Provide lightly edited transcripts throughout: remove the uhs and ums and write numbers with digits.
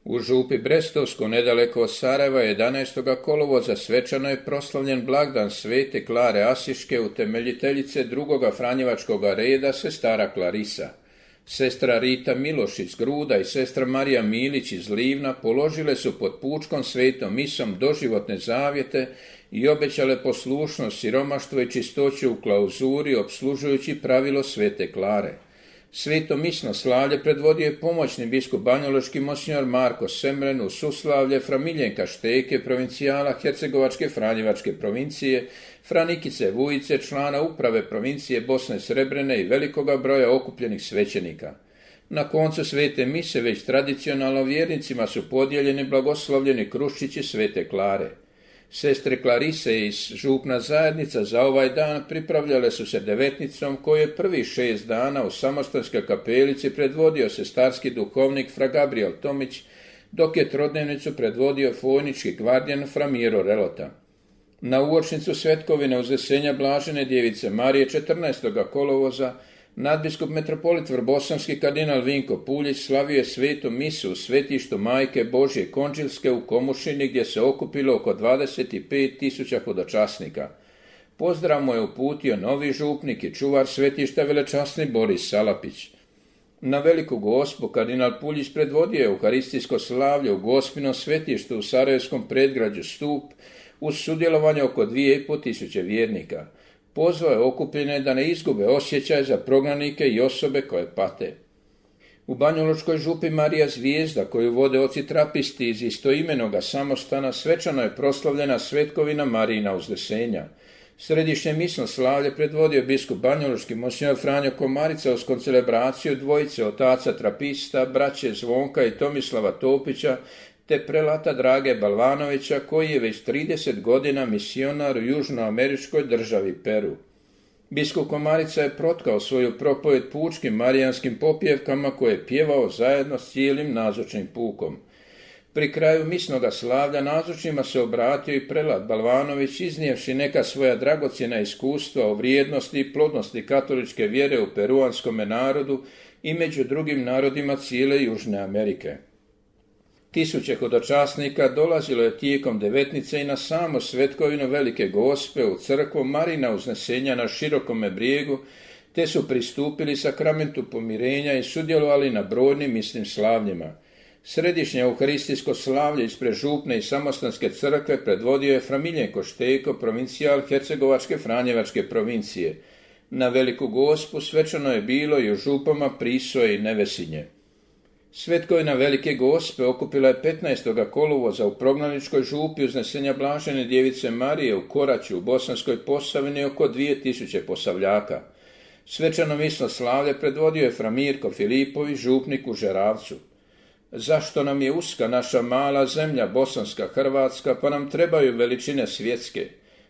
U župi Brestovsko, nedaleko od Sarajeva, 11. kolovoza svečano je proslavljen blagdan Svete Klare Asiške, utemeljiteljice drugoga franjevačkoga reda, sestara Klarisa. Sestra Rita Miloš iz Gruda i sestra Marija Milić iz Livna položile su pod pučkom svetom misom doživotne zavjete i obećale poslušnost, siromaštvo i čistoću u klauzuri, opslužujući pravilo Svete Klare. Sveto misno slavlje predvodio je pomoćni biskup banjolučki monsignor Marko Semren, u suslavlje fra Miljenka Šteke, provincijala Hercegovačke franjevačke provincije, fra Nikice Vujice, člana uprave provincije Bosne Srebrene i velikoga broja okupljenih svećenika. Na koncu svete mise već tradicionalno vjernicima su podijeljeni blagoslovljeni kruščići Svete Klare. Sestre Klarise iz župna zajednica za ovaj dan pripravljale su se devetnicom koju je prvih 6 dana u Samostanskoj kapelici predvodio sestarski duhovnik fra Gabriel Tomić, dok je trodnevnicu predvodio fojnički gvardijan fra Miro Relota. Na uočnicu svetkovine uzvesenja Blažene djevice Marije 14. kolovoza nadbiskup metropolit Vrbosanski kardinal Vinko Puljić slavio je svetu misu u svetištu Majke Božje Konđilske u Komušini, gdje se okupilo oko 25.000 hodočasnika. Pozdrav mu je uputio novi župnik i čuvar svetišta velečasni Boris Salapić. Na Veliku Gospu kardinal Puljić predvodio je euharistijsko slavlje u Gospinom svetištu u Sarajevskom predgrađu Stup uz sudjelovanje oko 2.500 vjernika. Pozvao je okupljene da ne izgube osjećaj za prognanike i osobe koje pate. U banjolučkoj župi Marija Zvijezda, koju vode oci trapisti iz istoimenoga samostana, svečano je proslavljena svetkovina Marijina uzdesenja. Središnje misno slavlje predvodio biskup banjolučki monsignor Franjo Komarica uz koncelebraciju dvojice otaca trapista, braće Zvonka i Tomislava Topića, te prelata Drage Balvanovića, koji je već 30 godina misionar u južnoameričkoj državi Peru. Biskup Komarica je protkao svoju propovjed pučkim marijanskim popjevkama koje je pjevao zajedno s cijelim nazočnim pukom. Pri kraju misnoga slavlja nazočnima se obratio i prelat Balvanović, iznijevši neka svoja dragocjena iskustva o vrijednosti i plodnosti katoličke vjere u peruanskome narodu i među drugim narodima cijele Južne Amerike. Tisuće hodočasnika dolazilo je tijekom devetnice i na samu svetkovinu Velike Gospe u crkvu Marina uznesenja na Širokome brijegu, te su pristupili sakramentu pomirenja i sudjelovali na brojnim misnim slavljima. Središnje euharistijsko slavlje ispred župne i samostanske crkve predvodio je fra Miljenko Šteko, provincijal Hercegovačke franjevačke provincije. Na Veliku Gospu svečano je bilo i u župama Prisoje i Nevesinje. Svetkovina Velike Gospe okupila je 15. kolovoza u prognaničkoj župi uznesenja Blažene djevice Marije u Koraću u Bosanskoj Posavini oko 2000 posavljaka. Svečano misno slavlje predvodio je fra Mirko Filipović, župnik u Žeravcu. Zašto nam je uska naša mala zemlja bosanska Hrvatska, pa nam trebaju veličine svjetske?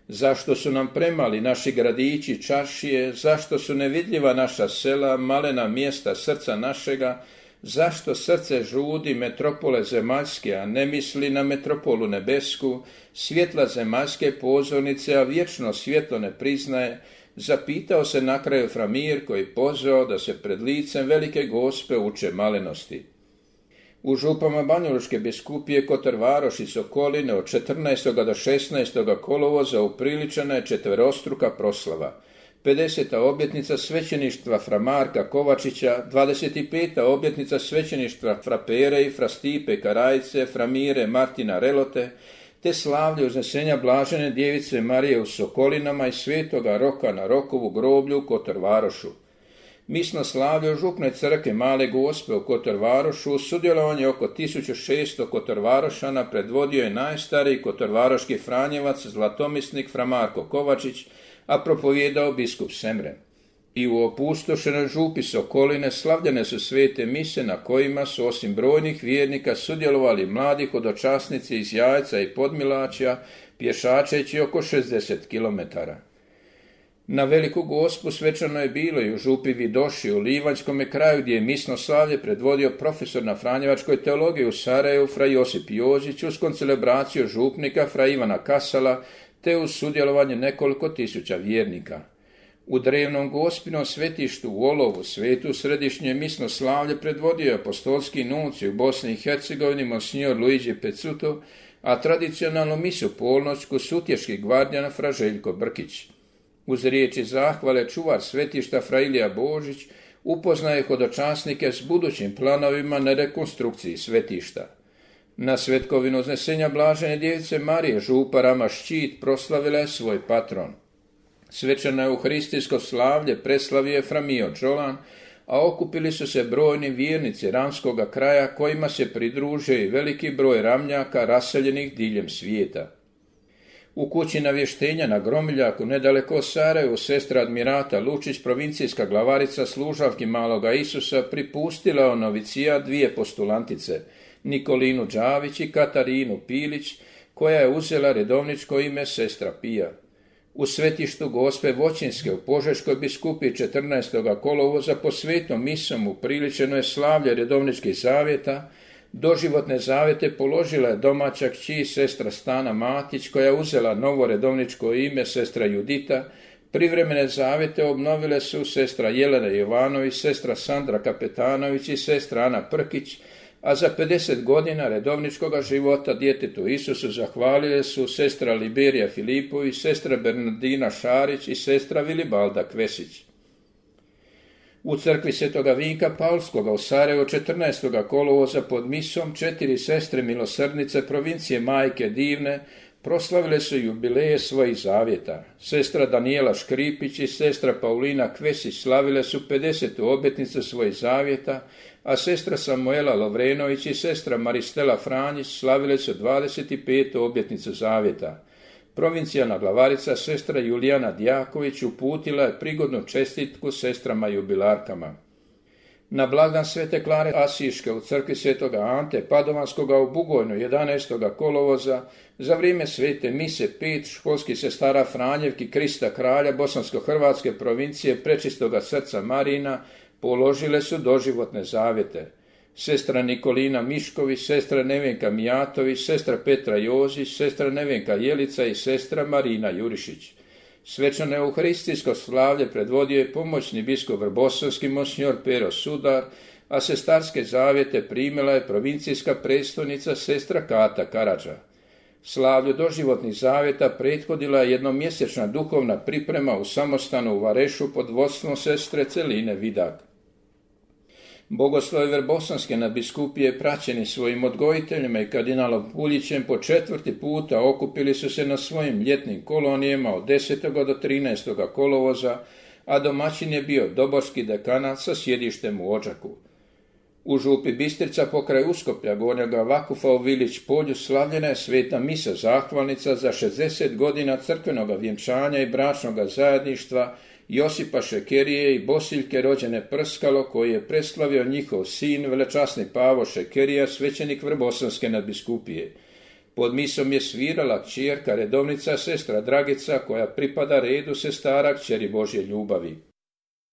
Zašto su nam premali naši gradići, čaršije? Zašto su nevidljiva naša sela, malena mjesta srca našega? Zašto srce žudi metropole zemaljske, a ne misli na metropolu nebesku, svjetla zemaljske pozornice, a vječno svjetlo ne priznaje? Zapitao se na kraju fra Mirko i pozvao da se pred licem Velike Gospe uče malenosti. U župama banjolučke biskupije Kotor Varoš i Sokoline od 14. do 16. kolovoza upriličena je četverostruka proslava. 50. obljetnica svećeništva fra Marka Kovačića, 25. obljetnica svećeništva fra Pere i fra Stipe Karajice, fra Mire Martina Relote, te slavlje uznesenja Blažene djevice Marije u Sokolinama i svetoga Roka na Rokovu groblju u Kotor Varošu. Misno slavlje u župnoj crkvi Male Gospe u Kotor Varošu uz sudjelovanje oko 1600 Kotorvarošana predvodio je najstariji kotorvaroški franjevac zlatomisnik fra Marko Kovačić, a propovijedao biskup Semren. I u opustošenoj župi Sokoline slavljene su svete mise na kojima su osim brojnih vjernika sudjelovali mladi hodočasnici iz Jajca i Podmilačja, pješačeći oko 60 km. Na Veliku Gospu svečano je bilo i u župi Vidoši u Livanjskome kraju, gdje je misno slavlje predvodio profesor na franjevačkoj teologiji u Sarajevu fra Josip Jozić uz koncelebraciju župnika fra Ivana Kasala, te uz sudjelovanje nekoliko tisuća vjernika. U drevnom Gospinom svetištu u Olovu svetu središnje misno slavlje predvodio apostolski nuncij u Bosni i Hercegovini monsignor Luigi Pezzuto, a tradicionalnu misu polnoćku sutješki gvardjan fra Željko Brkić. Uz riječi zahvale čuvar svetišta fra Ilija Božić upoznaje hodočasnike s budućim planovima na rekonstrukciji svetišta. Na svetkovinu uznesenja Blažene djevice Marije župa Rama Ščit proslavila je svoj patron. Svečano euharistijsko slavlje preslavio je fra Mio Đolan, a okupili su se brojni vjernici ramskoga kraja kojima se pridružio i veliki broj ramljaka raseljenih diljem svijeta. U kući navještenja na Gromiljaku, nedaleko od Sarajevo, sestra admirata Lučić, provincijska glavarica služavki Maloga Isusa, pripustila o novicija dvije postulantice, Nikolinu Đavić i Katarinu Pilić, koja je uzela redovničko ime sestra Pija. U svetištu Gospe Voćinske u Požeškoj biskupiji 14. kolovoza po svetom misom upriličeno je slavlje redovničkih zavjeta. Doživotne zavjete položila je domaća kći sestra Stana Matić, koja je uzela novo redovničko ime sestra Judita. Privremene zavjete obnovile su sestra Jelena Jovanović, sestra Sandra Kapetanović i sestra Ana Prkić, a za 50 godina redovničkoga života djetetu Isusu zahvalile su sestra Liberija Filipović, sestra Bernardina Šarić i sestra Vilibalda Kvesić. U crkvi Svetoga Vinka Paulskoga u Sarajevu 14. kolovoza pod misom 4 sestre milosrdnice provincije Majke Divne proslavile su jubileje svojih zavjeta. Sestra Danijela Škripić i sestra Paulina Kvesić slavile su 50. obljetnicu svojih zavjeta, a sestra Samuela Lovrenović i sestra Maristela Franjić slavile su 25. obljetnicu zavjeta. Provincijalna glavarica sestra Julijana Djaković uputila je prigodnu čestitku sestrama jubilarkama. Na blagdan Svete Klare Asiške u crkvi Svetoga Ante Padovanskoga u Bugojnu 11. kolovoza za vrijeme svete mise 5 školskih sestara Franjevki Krista Kralja Bosansko-Hrvatske provincije Prečistoga srca Marina položile su doživotne zavjete. Sestra Nikolina Mišković, sestra Nevenka Mijatović, sestra Petra Jozić, sestra Nevenka Jelica i sestra Marina Jurišić. Svečano euharistijsko slavlje predvodio je pomoćni biskup Vrbosavski monsignor Pero Sudar, a sestarske zavjete primila je provincijska predstojnica sestra Kata Karadža. Slavlju doživotnih zavjeta prethodila je jednomjesečna duhovna priprema u samostanu u Varešu pod vodstvom sestre Celine Vidak. Bogoslovi Vrbosanske nadbiskupije praćeni svojim odgojiteljima i kardinalom Puljićem po 4. puta okupili su se na svojim ljetnim kolonijama od 10. do 13. kolovoza, a domaćin je bio Doborski dekanat sa sjedištem u Odžaku. U župi Bistrica pokraj Uskoplja Gornjega Vakufa u Vilić polju slavljena je sveta misa zahvalnica za 60 godina crkvenoga vjenčanja i bračnoga zajedništva Josipa Šekerije i Bosiljke rođene Prskalo, koji je preslavio njihov sin, velečasni Pavo Šekerija, svećenik Vrbosanske nadbiskupije. Pod misom je svirala kćerka redovnica sestra Dragica, koja pripada redu sestara kćeri Božje ljubavi.